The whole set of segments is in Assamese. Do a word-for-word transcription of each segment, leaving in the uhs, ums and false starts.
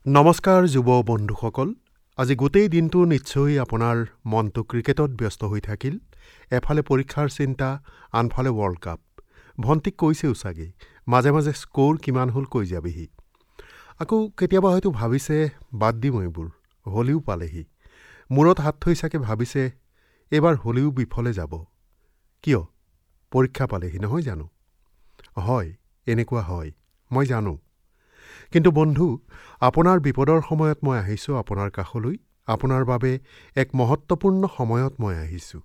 নমস্কাৰ যুৱ বন্ধুসকল, আজি গোটেই দিনটো নিশ্চয় আপোনাৰ মনটো ক্ৰিকেটত ব্যস্ত হৈ থাকিল। এফালে পৰীক্ষাৰ চিন্তা, আনফালে ৱৰ্ল্ড কাপ। ভণ্টিক কৈছেও চাগে মাজে মাজে স্ক'ৰ কিমান হ'ল কৈ যাবিহি। আকৌ কেতিয়াবা হয়তো ভাবিছে বাদ দিম এইবোৰ, হোলীও পালেহি। মূৰত হাত থৈ চাগে ভাবিছে এইবাৰ হোলীও বিফলে যাব। কিয়? পৰীক্ষা পালেহি নহয় জানো? হয়, এনেকুৱা হয়, মই জানো। কিন্তু বন্ধু, আপোনাৰ বিপদৰ সময়ত মই আহিছোঁ আপোনাৰ কাষলৈ, আপোনাৰ বাবে এক মহত্বপূৰ্ণ সময়ত মই আহিছোঁ।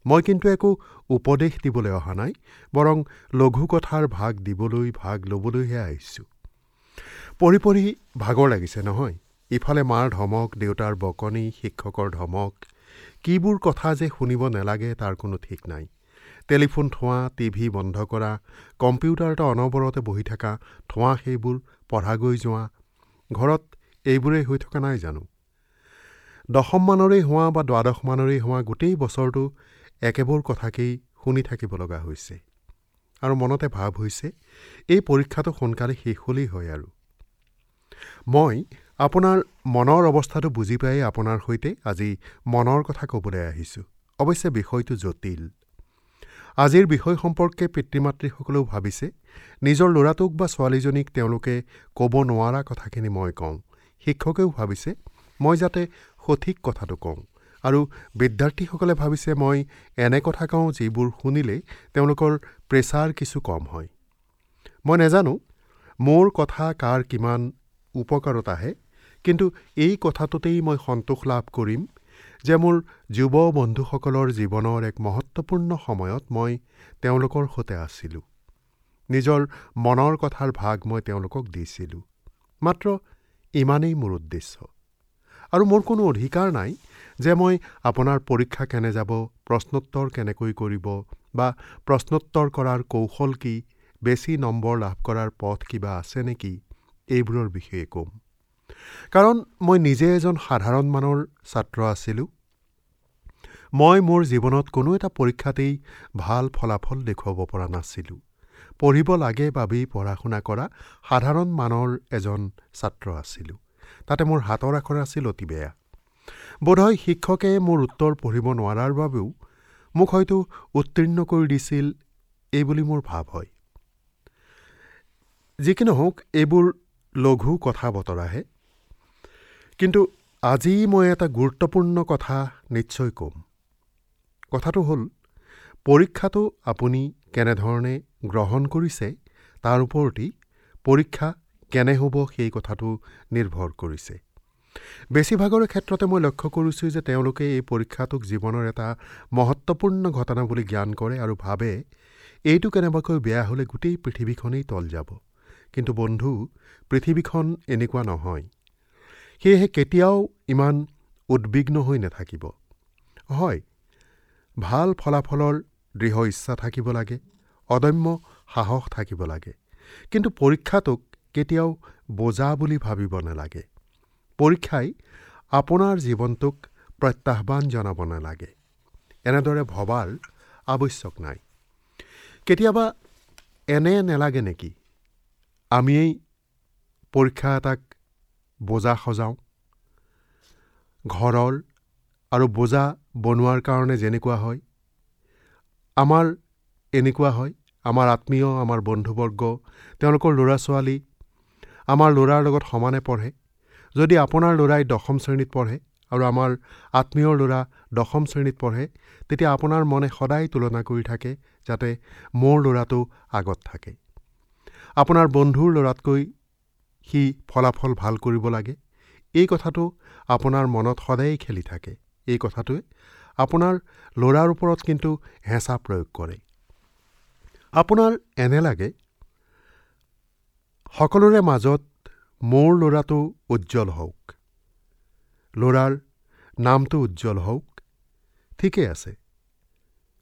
মই কিন্তু একো উপদেশ দিবলৈ অহা নাই, বৰং লঘু কথাৰ ভাগ দিবলৈ, ভাগ ল'বলৈহে আহিছোঁ। পঢ়ি পঢ়ি ভাগৰ লাগিছে নহয়? ইফালে মাৰ ধমক, দেউতাৰ বকনি, শিক্ষকৰ ধমক, কিবোৰ কথা যে শুনিব নালাগে তাৰ কোনো ঠিক নাই। টেলিফোন থোৱা, টিভি বন্ধ কৰা, কম্পিউটাৰতে অনবৰতে বহি থকা, থোৱা সেইবোৰ, পঢ়াগৈ যোৱা, ঘৰত এইবোৰেই হৈ থকা নাই জানো? দশম মানৰেই হোৱা বা দ্বাদশ মানৰেই হোৱা, গোটেই বছৰটো একেবোৰ কথাকেই শুনি থাকিব লগা হৈছে। আৰু মনতে ভাৱ হৈছে এই পৰীক্ষাটো সোনকালে শেষ হ'লেই হয়। আৰু মই আপোনাৰ মনৰ অৱস্থাটো বুজি পাই আপোনাৰ সৈতে আজি মনৰ কথা ক'বলৈ আহিছোঁ। অৱশ্যে বিষয়টো জটিল। আজিৰ বিষয় সম্পৰ্কে পিতৃ মাতৃসকলেও ভাবিছে নিজৰ ল'ৰাটোক বা ছোৱালীজনীক তেওঁলোকে ক'ব নোৱাৰা কথাখিনি মই কওঁ। শিক্ষকেও ভাবিছে মই যাতে সঠিক কথাটো কওঁ, আৰু বিদ্যাৰ্থীসকলে ভাবিছে মই এনে কথা কওঁ যিবোৰ শুনিলে তেওঁলোকৰ প্ৰেছাৰ কিছু কম হয়। মই নাজানো মোৰ কথা কাৰ কিমান উপকাৰত আহে, কিন্তু এই কথাটোতেই মই সন্তোষ লাভ কৰিম যে মোৰ যুৱ বন্ধুসকলৰ জীৱনৰ এক মহত্বপূৰ্ণ সময়ত মই তেওঁলোকৰ সৈতে আছিলোঁ। নিজৰ মনৰ কথাৰ ভাগ মই তেওঁলোকক দিছিলোঁ। মাত্ৰ ইমানেই মোৰ উদ্দেশ্য। আৰু মোৰ কোনো অধিকাৰ নাই যে মই আপোনাৰ পৰীক্ষা কেনে যাব, প্ৰশ্নোত্তৰ কেনেকৈ কৰিব বা প্ৰশ্নোত্তৰ কৰাৰ কৌশল কি, বেছি নম্বৰ লাভ কৰাৰ পথ কিবা আছে নেকি, এইবোৰৰ বিষয়ে ক'ম। কাৰণ মই নিজে এজন সাধাৰণ মানৰ ছাত্ৰ আছিলোঁ। মই মোৰ জীৱনত কোনো এটা পৰীক্ষাতেই ভাল ফলাফল দেখুৱাব পৰা নাছিলোঁ। পঢ়িব লাগে বাবেই পঢ়া শুনা কৰা সাধাৰণ মানৰ এজন ছাত্ৰ আছিলোঁ। তাতে মোৰ হাতৰ আখৰ আছিল অতি বেয়া। বোধহয় শিক্ষকে মোৰ উত্তৰ পঢ়িব নোৱাৰাৰ বাবেও মোক হয়তো উত্তীৰ্ণ কৰি দিছিল এই বুলি মোৰ ভাৱ হয়। যি কি নহওক, এইবোৰ লঘু কথা বতৰাহে। কিন্তু আজি মই এটা গুৰুত্বপূৰ্ণ কথা নিশ্চয় ক'ম। কথাটো হ'ল, পৰীক্ষাটো আপুনি কেনেধৰণে গ্ৰহণ কৰিছে তাৰ ওপৰতেই পৰীক্ষা কেনে হ'ব সেই কথাটো নিৰ্ভৰ কৰিছে। বেছিভাগৰে ক্ষেত্ৰতে মই লক্ষ্য কৰিছোঁ যে তেওঁলোকে এই পৰীক্ষাটোক জীৱনৰ এটা মহত্বপূৰ্ণ ঘটনা বুলি জ্ঞান কৰে আৰু ভাবে এইটো কেনেবাকৈ বেয়া হ'লে গোটেই পৃথিৱীখনেই তল যাব। কিন্তু বন্ধু, পৃথিৱীখন এনেকুৱা নহয়। সেয়েহে কেতিয়াও ইমান উদ্বিগ্ন হৈ নাথাকিব। হয়, ভাল ফলাফলৰ দৃঢ় ইচ্ছা থাকিব লাগে, অদম্য সাহস থাকিব লাগে, কিন্তু পৰীক্ষাটোক কেতিয়াও বোজা বুলি ভাবিব নালাগে। পৰীক্ষাই আপোনাৰ জীৱনটোক প্ৰত্যাহ্বান জনাব নালাগে, এনেদৰে ভবাৰ আৱশ্যক নাই। কেতিয়াবা এনে নালাগে নেকি আমিয়েই পৰীক্ষা এটাক বোজা সজাওঁ? ঘৰৰ আৰু বোজা বনোৱাৰ কাৰণে যেনেকুৱা হয়, আমাৰ এনেকুৱা হয়। আমাৰ আত্মীয়, আমাৰ বন্ধুবৰ্গ, তেওঁলোকৰ ল'ৰা ছোৱালী আমাৰ ল'ৰাৰ লগত সমানে পঢ়ে। যদি আপোনাৰ ল'ৰাই দশম শ্ৰেণীত পঢ়ে আৰু আমাৰ আত্মীয়ৰ ল'ৰা দশম শ্ৰেণীত পঢ়ে, তেতিয়া আপোনাৰ মনে সদায় তুলনা কৰি থাকে যাতে মোৰ ল'ৰাটো আগত থাকে। আপোনাৰ বন্ধুৰ ল'ৰাতকৈ সি ফলাফল ভাল কৰিব লাগে, এই কথাটো আপোনাৰ মনত সদায়েই খেলি থাকে। এই কথাটোৱে আপোনাৰ ল'ৰাৰ ওপৰত কিন্তু হেঁচা প্ৰয়োগ কৰে। আপোনাৰ এনে লাগে সকলোৰে মাজত মোৰ ল'ৰাটো উজ্জ্বল হওক, ল'ৰাৰ নামটো উজ্জ্বল হওক। ঠিকেই আছে,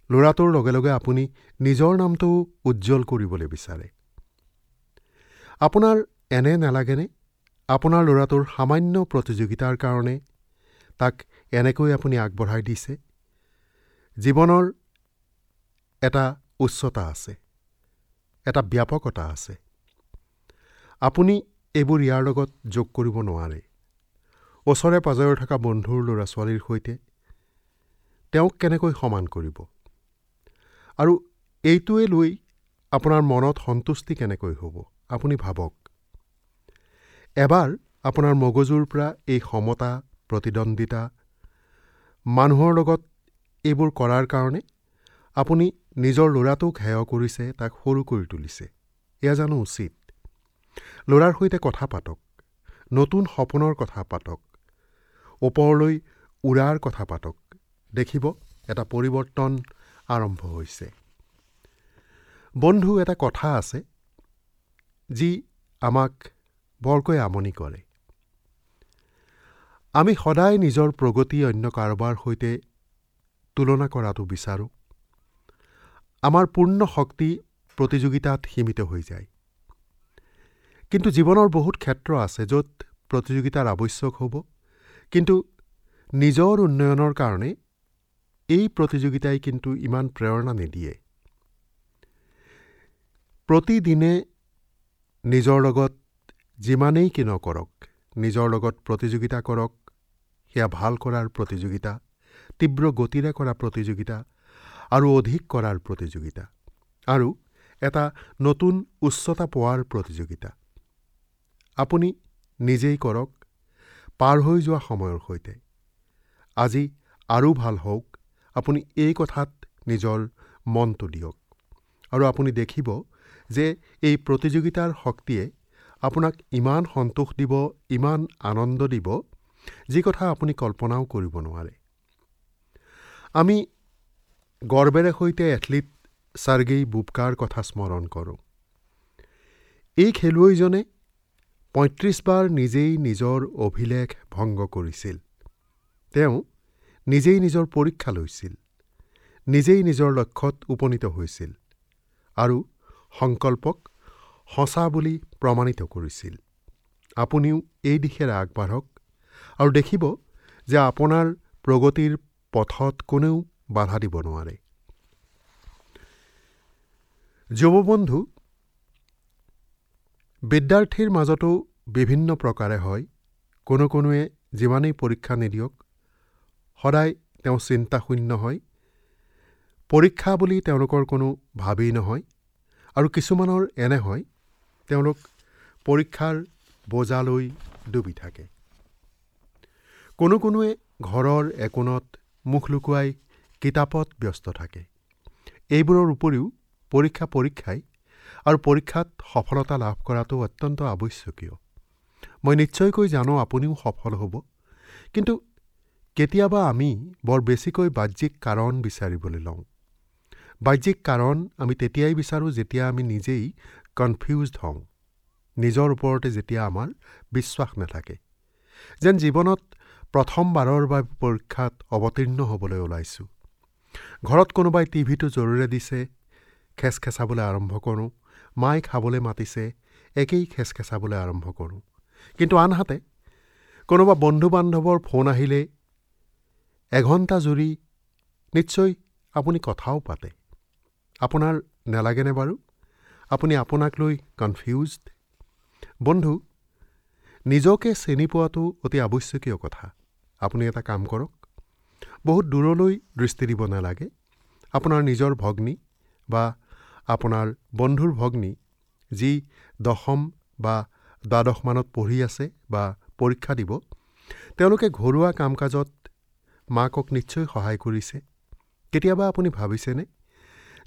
ল'ৰাটোৰ লগে লগে আপুনি নিজৰ নামটো উজ্জ্বল কৰিবলৈ বিচাৰে। আপোনাৰ এনে নালাগেনে আপোনাৰ ল'ৰাটোৰ সামান্য প্ৰতিযোগিতাৰ কাৰণে তাক এনেকৈ আপুনি আগবঢ়াই দিছে? জীৱনৰ এটা উচ্চতা আছে, এটা ব্যাপকতা আছে। আপুনি এইবোৰ ইয়াৰ লগত যোগ কৰিব নোৱাৰে। ওচৰে পাজৰে থকা বন্ধুৰ ল'ৰা ছোৱালীৰ সৈতে তেওঁক কেনেকৈ সমান কৰিব? আৰু এইটোৱে লৈ আপোনাৰ মনত সন্তুষ্টি কেনেকৈ হ'ব? আপুনি ভাবক। এবাৰ আপোনাৰ মগজুৰ পৰা এই সমতা, প্ৰতিদ্বন্দ্বিতা, মানুহৰ লগত এইবোৰ কৰাৰ কাৰণে আপুনি নিজৰ ল'ৰাটোক হেয় কৰিছে, তাক সৰু কৰি তুলিছে। এয়া জানো উচিত? ল'ৰাৰ সৈতে কথা পাতক, নতুন সপোনৰ কথা পাতক, ওপৰলৈ উৰাৰ কথা পাতক। দেখিব এটা পৰিৱৰ্তন আৰম্ভ হৈছে। বন্ধু, এটা কথা আছে যি আমাক বৰকৈ আমনি কৰে। আমি সদায় নিজৰ প্ৰগতি অন্য কাৰোবাৰ সৈতে তুলনা কৰাটো বিচাৰোঁ। আমাৰ পূৰ্ণ শক্তি প্ৰতিযোগিতাত সীমিত হৈ যায়। কিন্তু জীৱনৰ বহুত ক্ষেত্ৰ আছে য'ত প্ৰতিযোগিতাৰ আৱশ্যক হ'ব, কিন্তু নিজৰ উন্নয়নৰ কাৰণে এই প্ৰতিযোগিতাই কিন্তু ইমান প্ৰেৰণা নিদিয়ে। প্ৰতিদিনে নিজৰ লগত যিমানেই কি নকৰক, নিজৰ লগত প্ৰতিযোগিতা কৰক, সেয়া ভাল কৰাৰ প্ৰতিযোগিতা, তীব্ৰ গতিৰে কৰা প্ৰতিযোগিতা আৰু অধিক কৰাৰ প্ৰতিযোগিতা আৰু এটা নতুন উচ্চতা পোৱাৰ প্ৰতিযোগিতা। আপুনি নিজেই কৰক, পাৰ হৈ যোৱা সময়ৰ সৈতে। আজি আৰু ভাল হওক, আপুনি এই কথাত নিজৰ মনটো দিয়ক আৰু আপুনি দেখিব যে এই প্ৰতিযোগিতাৰ শক্তিয়ে আপোনাক ইমান সন্তোষ দিব, ইমান আনন্দ দিব, যি কথা আপুনি কল্পনাও কৰিব নোৱাৰে। আমি গৰ্বেৰে সৈতে এথলীট চাৰ্গেই বুবকাৰ কথা স্মৰণ কৰোঁ। এই খেলুৱৈজনে পঁয়ত্ৰিছ বাৰ নিজেই নিজৰ অভিলেখ ভংগ কৰিছিল। তেওঁ নিজেই নিজৰ পৰীক্ষা লৈছিল, নিজেই নিজৰ লক্ষ্যত উপনীত হৈছিল আৰু সংকল্পক সঁচা বুলি প্ৰমাণিত কৰিছিল। আপুনিও এই দিশেৰে আগবাঢ়ক আৰু দেখিব যে আপোনাৰ প্ৰগতিৰ পথত কোনেও বাধা দিব নোৱাৰে। যুৱবন্ধু, বিদ্যাৰ্থীৰ মাজতো বিভিন্ন প্ৰকাৰে হয়। কোনো কোনোৱে যিমানেই পৰীক্ষা নিদিয়ক, সদায় তেওঁ চিন্তাশূন্য হয়। পৰীক্ষা বুলি তেওঁলোকৰ কোনো ভাবেই নহয়। আৰু কিছুমানৰ এনে হয়, তেওঁলোক পৰীক্ষাৰ বোজালৈ ডুবি থাকে। কোনো কোনোৱে ঘৰৰ একোণত মুখ লুকুৱাই কিতাপত ব্যস্ত থাকে। এইবোৰৰ উপৰিও পৰীক্ষা পৰীক্ষাই আৰু পৰীক্ষাত সফলতা লাভ কৰাটো অত্যন্ত আৱশ্যকীয়। মই নিশ্চয়কৈ জানো আপুনিও সফল হ'ব, কিন্তু কেতিয়াবা আমি বৰ বেছিকৈ বাহ্যিক কাৰণ বিচাৰিবলৈ লওঁ। বাহ্যিক কাৰণ আমি তেতিয়াই বিচাৰোঁ যেতিয়া আমি নিজেই কনফিউজড হওঁ, নিজৰ ওপৰতে যেতিয়া আমাৰ বিশ্বাস নাথাকে, যেন জীৱনত প্ৰথমবাৰৰ বাবে পৰীক্ষাত অৱতীৰ্ণ হ'বলৈ ওলাইছোঁ। ঘৰত কোনোবাই টিভিটো জোৰেৰে দিছে, খেচখেচাবলৈ আৰম্ভ কৰোঁ। মায়ে খাবলৈ মাতিছে, একেই খেচখেচাবলৈ আৰম্ভ কৰোঁ। কিন্তু আনহাতে কোনোবা বন্ধু বান্ধৱৰ ফোন আহিলে এঘণ্টা জুৰি নিশ্চয় আপুনি কথাও পাতে। আপোনাৰ নালাগেনে বাৰু? আপুনি আপোনাক লৈ কনফিউজড? বন্ধু, নিজকে চিনি পোৱাটো অতি আৱশ্যকীয় কথা। আপুনি এটা কাম কৰক, বহুত দূৰলৈ দৃষ্টি দিব নালাগে। আপোনাৰ নিজৰ ভগ্নী বা আপোনাৰ বন্ধুৰ ভগ্নী যি দশম বা দ্বাদশ মানত পঢ়ি আছে বা পৰীক্ষা দিব, তেওঁলোকে ঘৰুৱা কাম কাজত মাকক নিশ্চয় সহায় কৰিছে। কেতিয়াবা আপুনি ভাবিছেনে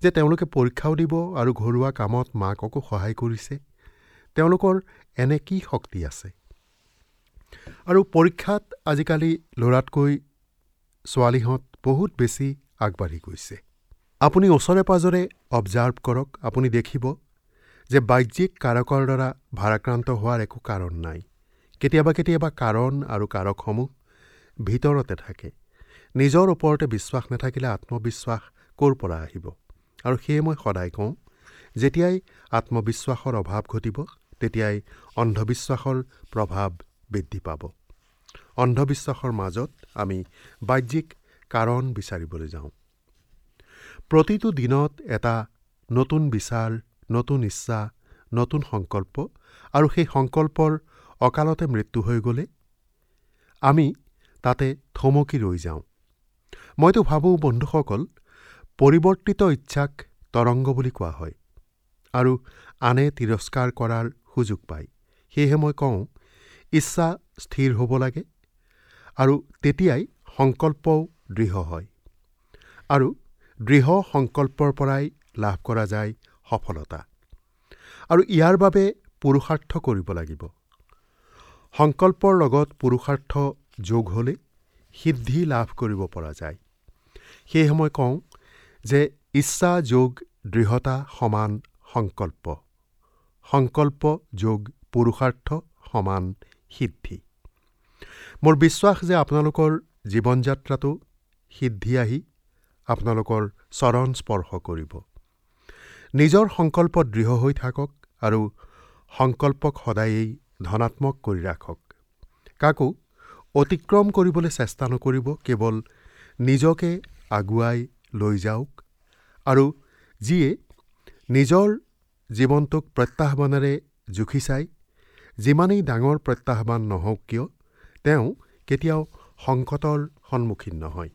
যে তেওঁলোকে পৰীক্ষাও দিব আৰু ঘৰুৱা কামত মাককো সহায় কৰিছে? তেওঁলোকৰ এনে কি শক্তি আছে? আৰু পৰীক্ষাত আজিকালি ল'ৰাতকৈ ছোৱালীহঁত বহুত বেছি আগবাঢ়ি গৈছে। আপুনি ওচৰে পাজৰে অবজাৰ্ভ কৰক, আপুনি দেখিব যে বাহ্যিক কাৰকৰ দ্বাৰা ভাৰাক্ৰান্ত হোৱাৰ একো কাৰণ নাই। কেতিয়াবা কেতিয়াবা কাৰণ আৰু কাৰকসমূহ ভিতৰতে থাকে। নিজৰ ওপৰতে বিশ্বাস নাথাকিলে আত্মবিশ্বাস ক'ৰ পৰা আহিব? আৰু সেয়ে মই সদায় কওঁ, যেতিয়াই আত্মবিশ্বাসৰ অভাৱ ঘটিব তেতিয়াই অন্ধবিশ্বাসৰ প্ৰভাৱ বৃদ্ধি পাব। অন্ধবিশ্বাসৰ মাজত আমি বাহ্যিক কাৰণ বিচাৰিবলৈ যাওঁ। প্ৰতিটো দিনত এটা নতুন বিচাৰ, নতুন ইচ্ছা, নতুন সংকল্প আৰু সেই সংকল্পৰ অকালতে মৃত্যু হৈ গ'লে আমি তাতে থমকি ৰৈ যাওঁ। মইতো ভাবোঁ বন্ধুসকল, পৰিৱৰ্তিত ইচ্ছাক তৰংগ বুলি কোৱা হয় আৰু আনে তিৰস্কাৰ কৰাৰ সুযোগ পায়। সেয়েহে মই কওঁ, ইচ্ছা স্থিৰ হ'ব লাগে আৰু তেতিয়াই সংকল্পও দৃঢ় হয় আৰু দৃঢ় সংকল্পৰ পৰাই লাভ কৰা যায় সফলতা। আৰু ইয়াৰ বাবে পুৰুষাৰ্থ কৰিব লাগিব। সংকল্পৰ লগত পুৰুষাৰ্থ যোগ হ'লে সিদ্ধি লাভ কৰিব পৰা যায়। সেয়েহে মই কওঁ যে ইচ্ছা যোগ দৃঢ়তা সমান সংকল্প, সংকল্প যোগ পুৰুষাৰ্থ সমান সিদ্ধি। মোৰ বিশ্বাস যে আপোনালোকৰ জীৱন যাত্ৰাটো সিদ্ধি আহি আপোনালোকৰ চৰণ স্পৰ্শ কৰিব। নিজৰ সংকল্প দৃঢ় হৈ থাকক আৰু সংকল্পক সদায়েই ধনাত্মক কৰি ৰাখক। কাকো অতিক্ৰম কৰিবলৈ চেষ্টা নকৰিব, কেৱল নিজকে আগুৱাই লৈ যাওক। আৰু যিয়ে নিজৰ জীৱনটোক প্ৰত্যাহ্বানেৰে জুখি চায়, যিমানেই ডাঙৰ প্ৰত্যাহ্বান নহওক কিয়, তেওঁ কেতিয়াও সংকটৰ সন্মুখীন নহয়।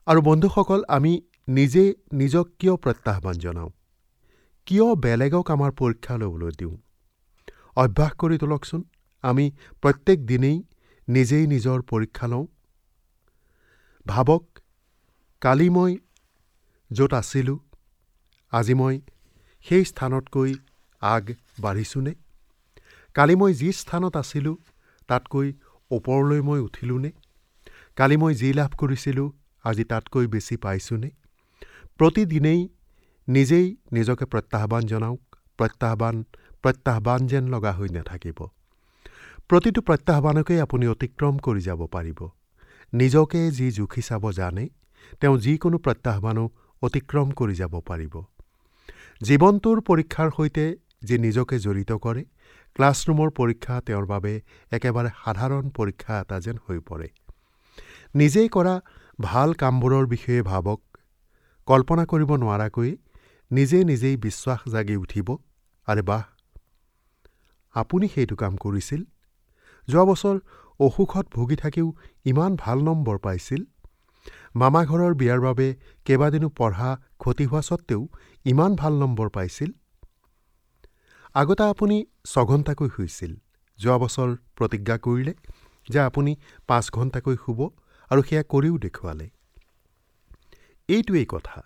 আৰু বন্ধুসকল, আমি নিজে নিজক কিয় প্ৰত্যাহ্বান জনাওঁ? কিয় বেলেগক আমাৰ পৰীক্ষা ল'বলৈ দিওঁ? অভ্যাস কৰি তোলকচোন, আমি প্ৰত্যেক দিনেই নিজেই নিজৰ পৰীক্ষা লওঁ। ভাবক, কালি মই য'ত আছিলোঁ আজি মই সেই স্থানতকৈ আগ বাঢ়িছোঁনে? কালি মই যি স্থানত আছিলোঁ তাতকৈ ওপৰলৈ মই উঠিলোঁনে? কালি মই যি লাভ কৰিছিলোঁ আজি তাতকৈ বেছি পাইছোঁনে? প্ৰতিদিনেই নিজেই নিজকে প্ৰত্যাহ্বান জনাওক। প্ৰত্যাহ্বান প্ৰত্যাহ্বান যেন লগা হৈ নাথাকিব। প্ৰতিটো প্ৰত্যাহ্বানকেই আপুনি অতিক্ৰম কৰি যাব পাৰিব। নিজকে যি জুখি চাব জানে, তেওঁ যিকোনো প্ৰত্যাহ্বানো অতিক্ৰম কৰি যাব পাৰিব। জীৱনটোৰ পৰীক্ষাৰ সৈতে যি নিজকে জড়িত কৰে, ক্লাছৰুমৰ পৰীক্ষা তেওঁৰ বাবে একেবাৰে সাধাৰণ পৰীক্ষা এটা যেন হৈ পৰে। নিজেই কৰা ভাল কামবোৰৰ বিষয়ে ভাবক। কল্পনা কৰিব নোৱাৰাকৈ নিজে নিজেই বিশ্বাস জাগি উঠিব, আৰে বাহ, আপুনি সেইটো কাম কৰিছিল, যোৱা বছৰ অসুখত ভুগি থাকিও ইমান ভাল নম্বৰ পাইছিল, মামা ঘৰৰ বিয়াৰ বাবে কেইবাদিনো পঢ়া ক্ষতি হোৱা সত্ত্বেও ইমান ভাল নম্বৰ পাইছিল, আগতে আপুনি ছঘণ্টাকৈ শুইছিল, যোৱা বছৰ প্ৰতিজ্ঞা কৰিলে যে আপুনি পাঁচ ঘণ্টাকৈ শুব আৰু সেয়া কৰিও দেখুৱালে। এইটোৱেই কথা।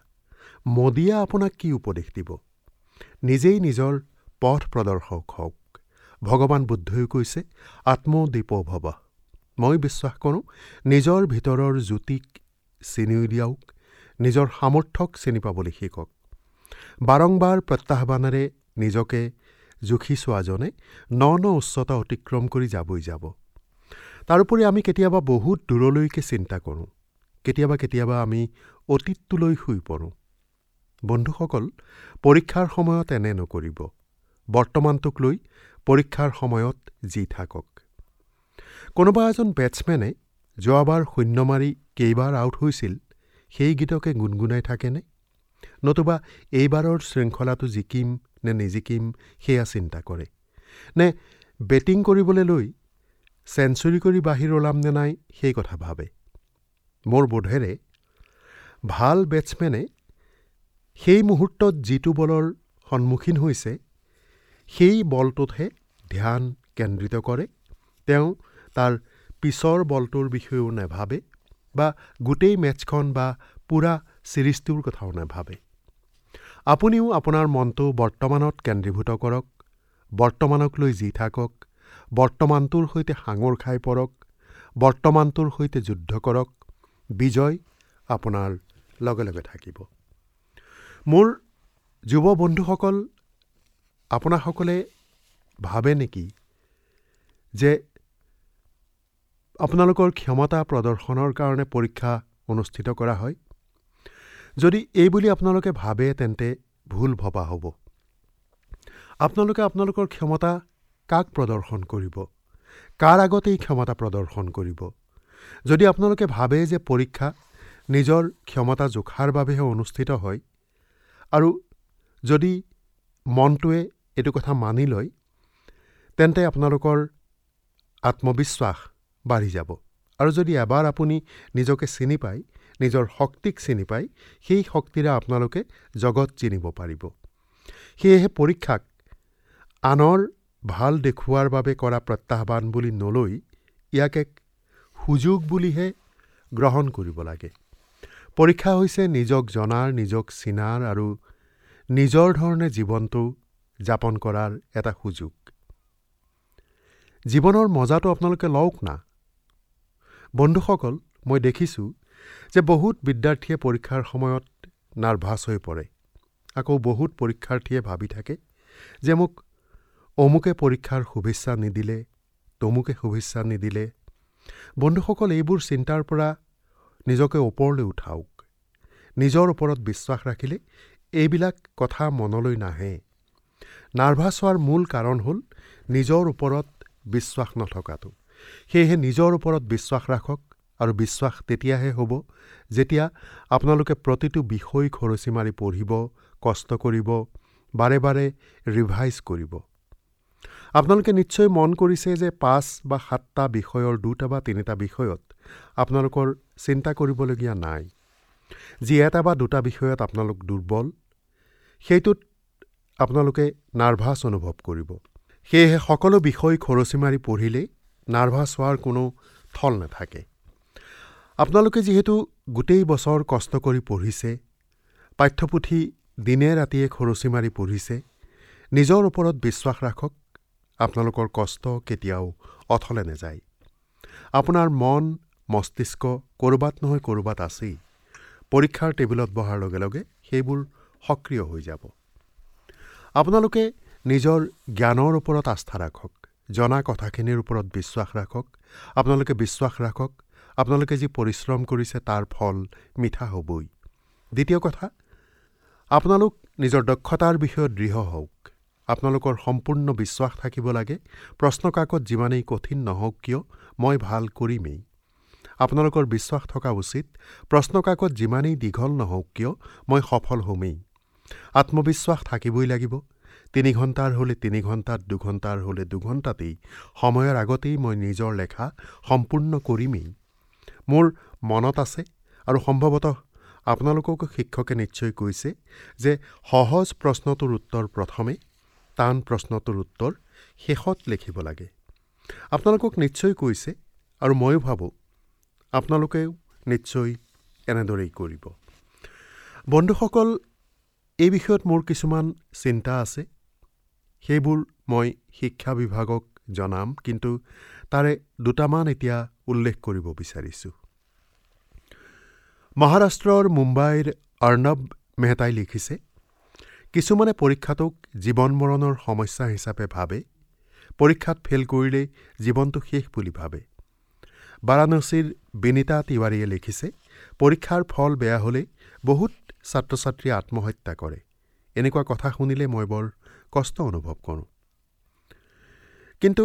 মোদীয়ে আপোনাক কি উপদেশ দিব? নিজেই নিজৰ পথ প্ৰদৰ্শক হওক। ভগৱান বুদ্ধইও কৈছে, আত্মদীপ ভৱ। মই বিশ্বাস কৰোঁ, নিজৰ ভিতৰৰ জ্যোতিক চিনি উলিয়াওক, নিজৰ সামৰ্থ্যক চিনি পাবলৈ শিকক। বাৰম্বাৰ প্ৰত্যাহ্বানেৰে নিজকে জুখি চোৱাজনে ন ন উচ্চতা অতিক্ৰম কৰি যাবই যাব। তাৰোপৰি আমি কেতিয়াবা বহুত দূৰলৈকে চিন্তা কৰোঁ, কেতিয়াবা কেতিয়াবা আমি অতীতটোলৈ শুই পৰোঁ। বন্ধুসকল, পৰীক্ষাৰ সময়ত এনে নকৰিব। বৰ্তমানটোক লৈ পৰীক্ষাৰ সময়ত যি থাকক। কোনোবা এজন বেটছমেনে যোৱাবাৰ শূন্য মাৰি কেইবাৰ আউট হৈছিল সেই গীতকে গুণগুণাই থাকেনে? নতুবা এইবাৰৰ শৃংখলাটো জিকিম নে নিজিকিম সেয়া চিন্তা কৰে নে? বেটিং কৰিবলৈ লৈ চেঞ্চুৰী কৰি বাহিৰ ওলাম নে নাই সেই কথা ভাবে? মোৰ বোধেৰে ভাল বেটছমেনে সেই মুহূৰ্তত যিটো বলৰ সন্মুখীন হৈছে সেই বলটোতহে ধ্যান কেন্দ্ৰিত কৰে। তেওঁ তাৰ পিছৰ বলটোৰ বিষয়েও নাভাবে বা গোটেই মেটছখন বা পূৰা ছিৰিজটোৰ কথাও নাভাবে। আপুনিও আপোনাৰ মনটো বৰ্তমানত কেন্দ্ৰীভূত কৰক, বৰ্তমানক লৈ যি থাকক, বৰ্তমানটোৰ সৈতে সাঙোৰ খাই পৰক, বৰ্তমানটোৰ সৈতে যুদ্ধ কৰক। বিজয় আপোনাৰ লগে লগে থাকিব। মোৰ যুৱ বন্ধুসকল, আপোনাসকলে ভাবে নেকি যে আপোনালোকৰ ক্ষমতা প্ৰদৰ্শনৰ কাৰণে পৰীক্ষা অনুষ্ঠিত কৰা হয়? যদি এই বুলি আপোনালোকে ভাবে তেন্তে ভুল ভবা হ'ব। আপোনালোকে আপোনালোকৰ ক্ষমতা কাক প্ৰদৰ্শন কৰিব? কাৰ আগত এই ক্ষমতা প্ৰদৰ্শন কৰিব? যদি আপোনালোকে ভাবে যে পৰীক্ষা নিজৰ ক্ষমতা জোখাৰ বাবেহে অনুষ্ঠিত হয়, আৰু যদি মনটোৱে এইটো কথা মানি লয়, তেন্তে আপোনালোকৰ আত্মবিশ্বাস বাঢ়ি যাব। আৰু যদি এবাৰ আপুনি নিজকে চিনি পায়, নিজৰ শক্তিক চিনি পায়, সেই শক্তিৰে আপোনালোকে জগত চিনিব পাৰিব। সেয়েহে পৰীক্ষাক আনৰ ভাল দেখুওৱাৰ বাবে কৰা প্ৰত্যাহ্বান বুলি নলৈ ইয়াক এক সুযোগ বুলিহে গ্ৰহণ কৰিব লাগে। পৰীক্ষা হৈছে নিজক জনাৰ, নিজক চিনাৰ আৰু নিজৰ ধৰণে জীৱনটো যাপন কৰাৰ এটা সুযোগ। জীৱনৰ মজাটো আপোনালোকে লওক না। বন্ধুসকল, মই দেখিছোঁ যে বহুত বিদ্যাৰ্থীয়ে পৰীক্ষাৰ সময়ত নাৰ্ভাছ হৈ পৰে। আকৌ বহুত পৰীক্ষাৰ্থীয়ে ভাবি থাকে যে মোক অমুকে পৰীক্ষাৰ শুভেচ্ছা নিদিলে, তমুকে শুভেচ্ছা নিদিলে। বন্ধুসকল, এইবোৰ চিন্তাৰ পৰা নিজকে ওপৰলৈ উঠাওক। নিজৰ ওপৰত বিশ্বাস ৰাখিলে এইবিলাক কথা মনলৈ নাহে। নাৰ্ভাছ হোৱাৰ মূল কাৰণ হ'ল নিজৰ ওপৰত বিশ্বাস নথকাটো। সেয়েহে নিজৰ ওপৰত বিশ্বাস ৰাখক, আৰু বিশ্বাস তেতিয়াহে হ'ব যেতিয়া আপোনালোকে প্ৰতিটো বিষয় খৰচি মাৰি পঢ়িব, কষ্ট কৰিব, বাৰে বাৰে ৰিভাইজ কৰিব। আপোনালোকে নিশ্চয় মন কৰিছে যে পাঁচ বা সাতটা বিষয়ৰ দুটা বা তিনিটা বিষয়ত আপোনালোকৰ চিন্তা কৰিবলগীয়া নাই। যি এটা বা দুটা বিষয়ত আপোনালোক দুৰ্বল, সেইটোত আপোনালোকে নাৰ্ভাছ অনুভৱ কৰিব। সেয়েহে সকলো বিষয় খৰচি মাৰি পঢ়িলে নাৰ্ভাছ হোৱাৰ কোনো থল নাথাকে। আপোনালোকে যিহেতু গোটেই বছৰ কষ্ট কৰি পঢ়িছে, পাঠ্যপুথি দিনে ৰাতিয়ে খৰচি মাৰি পঢ়িছে, নিজৰ ওপৰত বিশ্বাস ৰাখক। আপোনালোকৰ কষ্ট কেতিয়াও অথলে নাযায়। আপোনাৰ মন মস্তিষ্ক ক'ৰবাত নহয় ক'ৰবাত আছেই। পৰীক্ষাৰ টেবুলত বহাৰ লগে লগে সেইবোৰ সক্ৰিয় হৈ যাব। আপোনালোকে নিজৰ জ্ঞানৰ ওপৰত আস্থা ৰাখক, জনা কথাখিনিৰ ওপৰত বিশ্বাস ৰাখক। আপোনালোকে বিশ্বাস ৰাখক, আপোনালোকে যি পৰিশ্ৰম কৰিছে তাৰ ফল মিঠা হ'বই। দ্বিতীয় কথা, আপোনালোক নিজৰ দক্ষতাৰ বিষয়ত দৃঢ় হওক। আপোনালোকৰ সম্পূৰ্ণ বিশ্বাস থাকিব লাগে, প্ৰশ্নকাকত যিমানেই কঠিন নহওক কিয় মই ভাল কৰিমেই। আপোনালোকৰ বিশ্বাস থকা উচিত, প্ৰশ্নকাকত যিমানেই দীঘল নহওক কিয় মই সফল হ'মেই। আত্মবিশ্বাস থাকিবই লাগিব। তিনি ঘণ্টাৰ হ'লে তিনি ঘণ্টাত, দুঘণ্টাৰ হ'লে দুঘণ্টাতেই, সময়ৰ আগতেই মই নিজৰ লেখা সম্পূৰ্ণ কৰিমেই। মোৰ মনত আছে, আৰু সম্ভৱতঃ আপোনালোককো শিক্ষকে নিশ্চয় কৈছে যে সহজ প্ৰশ্নটোৰ উত্তৰ প্ৰথমে, টান প্ৰশ্নটোৰ উত্তৰ শেষত লিখিব লাগে। আপোনালোকক নিশ্চয় কৈছে, আৰু ময়ো ভাবোঁ আপোনালোকেও নিশ্চয় এনেদৰেই কৰিব। বন্ধুসকল, এই বিষয়ত মোৰ কিছুমান চিন্তা আছে, সেইবোৰ মই শিক্ষা বিভাগক জনাম, কিন্তু তাৰে দুটামান এতিয়া উল্লেখ কৰিব বিচাৰিছোঁ। মহাৰাষ্ট্ৰৰ মুম্বাইৰ অৰ্ণৱ মেহতাই লিখিছে, কিছুমানে পৰীক্ষাটোক জীৱন মৰণৰ সমস্যা হিচাপে ভাবে, পৰীক্ষাত ফেইল কৰিলে জীৱনটো শেষ বুলি ভাবে। বাৰাণসীৰ বিনীতা তিৱাৰীয়ে লিখিছে, পৰীক্ষাৰ ফল বেয়া হ'লে বহুত ছাত্ৰ ছাত্ৰীয়ে আত্মহত্যা কৰে। এনেকুৱা কথা শুনিলে মই বৰ কষ্ট অনুভৱ কৰোঁ। কিন্তু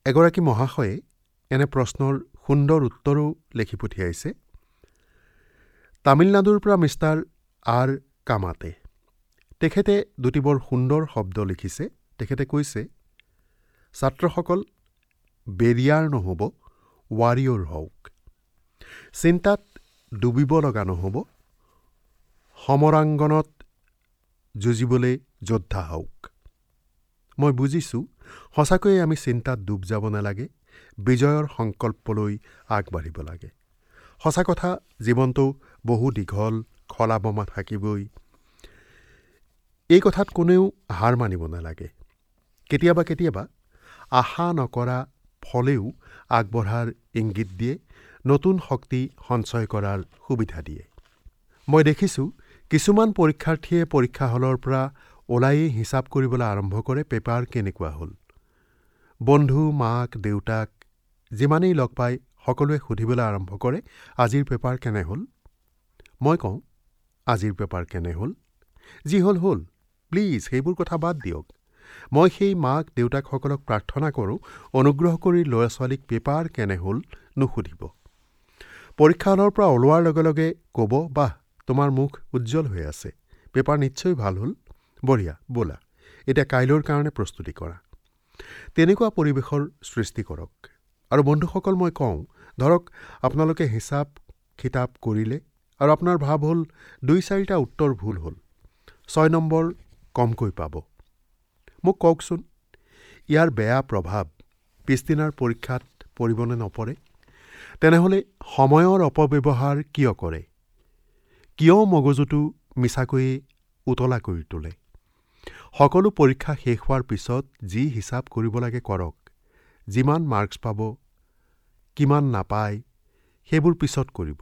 এগৰাকী মহাশয়ে এনে প্ৰশ্নৰ সুন্দৰ উত্তৰো লিখি পঠিয়াইছে। তামিলনাডুৰ পৰা মিষ্টাৰ আৰ কামাতে, তেখেতে দুটি বৰ সুন্দৰ শব্দ লিখিছে। তেখেতে কৈছে, ছাত্ৰসকল বেৰিয়াৰ নহ'ব, ৱাৰিয়ৰ হওক। চিন্তাত ডুবিব লগা নহ'ব, সমৰাংগনত যুঁজিবলৈ যোদ্ধা হওক। মই বুজিছোঁ, সঁচাকৈয়ে আমি চিন্তাত ডুব যাব নালাগে, বিজয়ৰ সংকল্পলৈ আগবাঢ়িব লাগে। সঁচা কথা, জীৱনটো বহু দীঘল, খলা বমা থাকিবই। এই কথাত কোনেও হাৰ মানিব নালাগে। কেতিয়াবা কেতিয়াবা আশা নকৰা ফলেও আগবঢ়াৰ ইংগিত দিয়ে, নতুন শক্তি সঞ্চয় কৰাৰ সুবিধা দিয়ে। মই দেখিছোঁ কিছুমান পৰীক্ষাৰ্থীয়ে পৰীক্ষা হলৰ পৰা ওলায়েই হিচাপ কৰিবলৈ আৰম্ভ কৰে পেপাৰ কেনেকুৱা হ'ল। বন্ধু, মাক, দেউতাক যিমানেই লগ পায় সকলোৱে সুধিবলৈ আৰম্ভ কৰে আজিৰ পেপাৰ কেনে হ'ল। মই কওঁ, আজিৰ পেপাৰ কেনে হ'ল, যি হ'ল হ'ল, প্লিজ সেইবোৰ কথা বাদ দিয়ক। মই সেই মাক দেউতাকসকলক প্ৰাৰ্থনা কৰোঁ, অনুগ্ৰহ কৰি ল'ৰা ছোৱালীক পেপাৰ কেনে হ'ল নুসুধিব। পৰীক্ষা হলৰ পৰা ওলোৱাৰ লগে লগে ক'ব, বাহ, তোমাৰ মুখ উজ্জ্বল হৈ আছে, পেপাৰ নিশ্চয় ভাল হ'ল, বঢ়িয়া, ব'লা এতিয়া কাইলৈৰ কাৰণে প্ৰস্তুতি কৰা। তেনেকুৱা পৰিৱেশৰ সৃষ্টি কৰক। আৰু বন্ধুসকল, মই কওঁ, ধৰক আপোনালোকে হিচাপ খিতাপ কৰিলে আৰু আপোনাৰ ভাৱ হ'ল দুই চাৰিটা উত্তৰ ভুল হ'ল, ছয় নম্বৰ কমকৈ পাব। মোক কওকচোন, ইয়াৰ বেয়া প্ৰভাৱ পিছদিনাৰ পৰীক্ষাত পৰিবনে নপৰে? তেনেহ'লে সময়ৰ অপব্যৱহাৰ কিয় কৰে? কিয় মগজুটো মিছাকৈয়ে উতলা কৰি তোলে? সকলো পৰীক্ষা শেষ হোৱাৰ পিছত যি হিচাপ কৰিব লাগে কৰক। যিমান মাৰ্কছ পাব, কিমান নাপায়, সেইবোৰ পিছত কৰিব।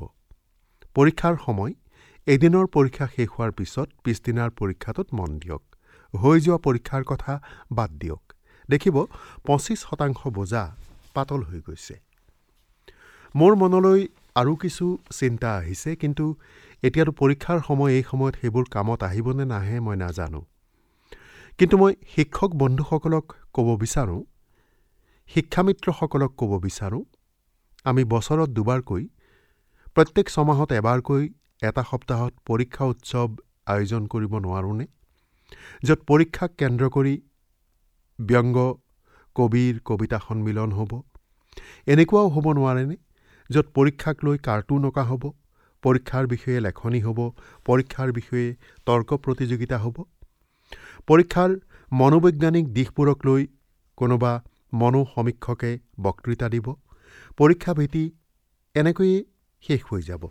পৰীক্ষাৰ সময় এদিনৰ পৰীক্ষা শেষ হোৱাৰ পিছত পিছদিনাৰ পৰীক্ষাটোত মন দিয়ক। হৈ যোৱা পৰীক্ষাৰ কথা বাদ দিয়ক। দেখিব পঁচিছ শতাংশ বোজা পাতল হৈ গৈছে। মোৰ মনলৈ আৰু কিছু চিন্তা আহিছে, কিন্তু এতিয়াতো পৰীক্ষাৰ সময়, এই সময়ত সেইবোৰ কামত আহিবনে নাহে মই নাজানো। কিন্তু মই শিক্ষক বন্ধুসকলক ক'ব বিচাৰোঁ, শিক্ষামিত্ৰসকলক ক'ব বিচাৰোঁ, আমি বছৰত দুবাৰকৈ, প্ৰত্যেক ছমাহত এবাৰকৈ এটা সপ্তাহত পৰীক্ষা উৎসৱ আয়োজন কৰিব নোৱাৰোঁনে, য'ত পৰীক্ষাক কেন্দ্ৰ কৰি ব্যংগ কবিৰ কবিতা সন্মিলন হ'ব? এনেকুৱাও হ'ব নোৱাৰেনে য'ত পৰীক্ষাক লৈ কাৰ্টুন অঁকা হ'ব, পৰীক্ষাৰ বিষয়ে লেখনি হ'ব, পৰীক্ষাৰ বিষয়ে তৰ্ক প্ৰতিযোগিতা হ'ব, পৰীক্ষাৰ মনোবৈজ্ঞানিক দিশবোৰক লৈ কোনোবা মনোসমীক্ষকে বক্তৃতা দিব, পৰীক্ষা ভীতি এনেকৈয়ে শেষ হৈ যাব।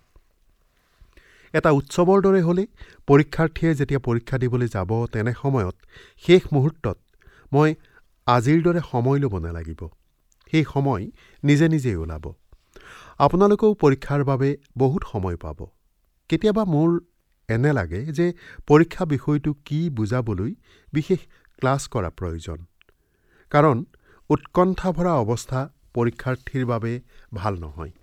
এটা উৎসৱৰ দৰে হ'লে পৰীক্ষাৰ্থীয়ে যেতিয়া পৰীক্ষা দিবলৈ যাব, তেনে সময়ত শেষ মুহূৰ্তত মই আজিৰ দৰে সময় ল'ব নালাগিব, সেই সময় নিজে নিজেই ওলাব। আপোনালোকেও পৰীক্ষাৰ বাবে বহুত সময় পাব। কেতিয়াবা মোৰ এনে লাগে যে পৰীক্ষা বিষয়টো কি বুজাবলৈ বিশেষ ক্লাছ কৰা প্ৰয়োজন, কাৰণ উৎকণ্ঠা ভৰা অৱস্থা পৰীক্ষাৰ্থীৰ বাবে ভাল নহয়।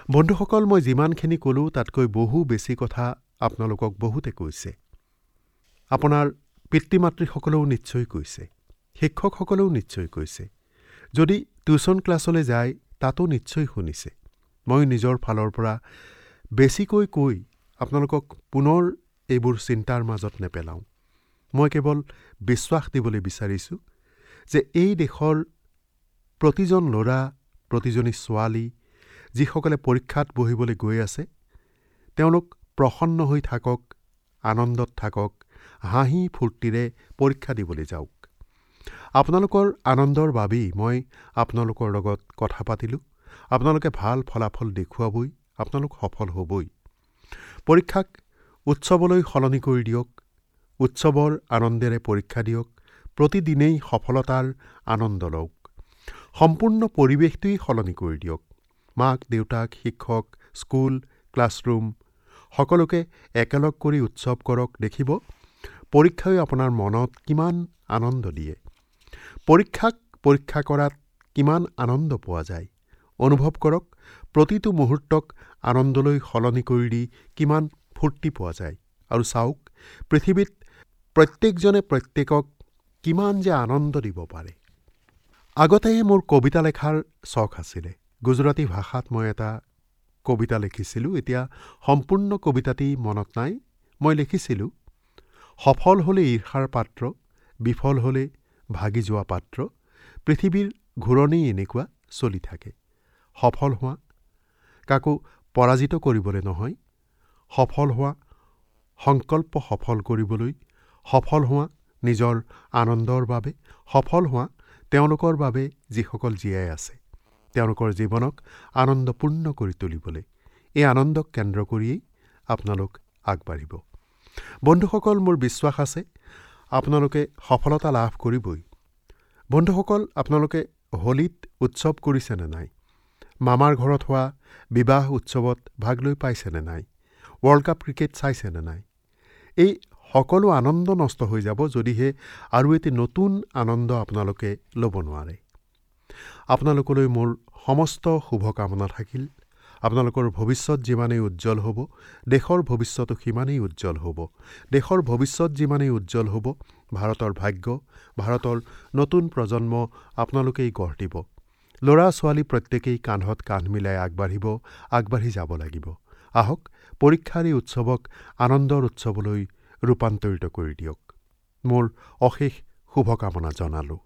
বন্ধুসকল, মই যিমানখিনি ক'লোঁ তাতকৈ বহু বেছি কথা আপোনালোকক বহুতে কৈছে। আপোনাৰ পিতৃ মাতৃসকলেও নিশ্চয় কৈছে, শিক্ষকসকলেও নিশ্চয় কৈছে, যদি টিউচন ক্লাছলৈ যায় তাতো নিশ্চয় শুনিছে। মই নিজৰ ফালৰ পৰা বেছিকৈ কৈ আপোনালোকক পুনৰ এইবোৰ চিন্তাৰ মাজত নেপেলাওঁ। মই কেৱল বিশ্বাস দিবলৈ বিচাৰিছোঁ যে এই দেশৰ প্ৰতিজন ল'ৰা, প্ৰতিজনী ছোৱালী যিসকলে পৰীক্ষাত বহিবলৈ গৈ আছে, তেওঁলোক প্ৰসন্ন হৈ থাকক, আনন্দত থাকক, হাঁহি ফূৰ্তিৰে পৰীক্ষা দিবলৈ যাওক। আপোনালোকৰ আনন্দৰ বাবেই মই আপোনালোকৰ লগত কথা পাতিলোঁ। আপোনালোকে ভাল ফলাফল দেখুৱাবই, আপোনালোক সফল হ'বই। পৰীক্ষাক উৎসৱলৈ সলনি কৰি দিয়ক, উৎসৱৰ আনন্দেৰে পৰীক্ষা দিয়ক, প্ৰতিদিনেই সফলতাৰ আনন্দ লওক। সম্পূৰ্ণ পৰিৱেশটোৱেই সলনি কৰি দিয়ক। মাক দেউতাক, শিক্ষক, স্কুল, ক্লাছৰুম সকলোকে একেলগ কৰি উৎসৱ কৰক। দেখিব পৰীক্ষাই আপোনাৰ মনত কিমান আনন্দ দিয়ে। পৰীক্ষাক পৰীক্ষা কৰাত কিমান আনন্দ পোৱা যায় অনুভৱ কৰক। প্ৰতিটো মুহূৰ্তক আনন্দলৈ সলনি কৰি দি কিমান ফূৰ্তি পোৱা যায়। আৰু চাওক পৃথিৱীত প্ৰত্যেকজনে প্ৰত্যেকক কিমান যে আনন্দ দিব পাৰে। আগতে মোৰ কবিতা লেখাৰ চখ আছিলে। গুজৰাটী ভাষাত মই এটা কবিতা লিখিছিলোঁ। এতিয়া সম্পূৰ্ণ কবিতাটি মনত নাই। মই লিখিছিলোঁ, সফল হ'লে ঈৰ্ষাৰ পাত্ৰ, বিফল হ'লে ভাগি যোৱা পাত্ৰ, পৃথিৱীৰ ঘূৰণি এনেকুৱা চলি থাকে। সফল হোৱা কাকো পৰাজিত কৰিবলৈ নহয়, সফল হোৱা সংকল্প সফল কৰিবলৈ, সফল হোৱা নিজৰ আনন্দৰ বাবে, সফল হোৱা তেওঁলোকৰ বাবে যিসকল জীয়াই আছে, তেওঁলোকৰ জীৱনক আনন্দপূৰ্ণ কৰি তুলিবলৈ। এই আনন্দক কেন্দ্ৰ কৰিয়েই আপোনালোক আগবাঢ়িব। বন্ধুসকল, মোৰ বিশ্বাস আছে আপোনালোকে সফলতা লাভ কৰিবই। বন্ধুসকল, আপোনালোকে হোলীত উৎসৱ কৰিছেনে নাই? মামাৰ ঘৰত হোৱা বিবাহ উৎসৱত ভাগ লৈ পাইছেনে নাই? ৱৰ্ল্ড কাপ ক্ৰিকেট চাইছেনে নাই? এই সকলো আনন্দ নষ্ট হৈ যাব যদিহে আৰু এটি নতুন আনন্দ আপোনালোকে ল'ব নোৱাৰে। আপোনালোকলৈ মোৰ সমস্ত শুভকামনা থাকিল। আপোনালোকৰ ভৱিষ্যত যিমানেই উজ্জ্বল হ'ব, দেশৰ ভৱিষ্যতো সিমানেই উজ্জ্বল হ'ব। দেশৰ ভৱিষ্যত যিমানেই উজ্জ্বল হ'ব, ভাৰতৰ ভাগ্য, ভাৰতৰ নতুন প্ৰজন্ম আপোনালোকেই গঢ় দিব। ল'ৰা ছোৱালী প্ৰত্যেকেই কান্ধত কান্ধ মিলাই আগবাঢ়িব, আগবাঢ়ি যাব লাগিব। আহক পৰীক্ষাৰ এই উৎসৱক আনন্দৰ উৎসৱলৈ ৰূপান্তৰিত কৰি দিয়ক। মোৰ অশেষ শুভকামনা জনালোঁ।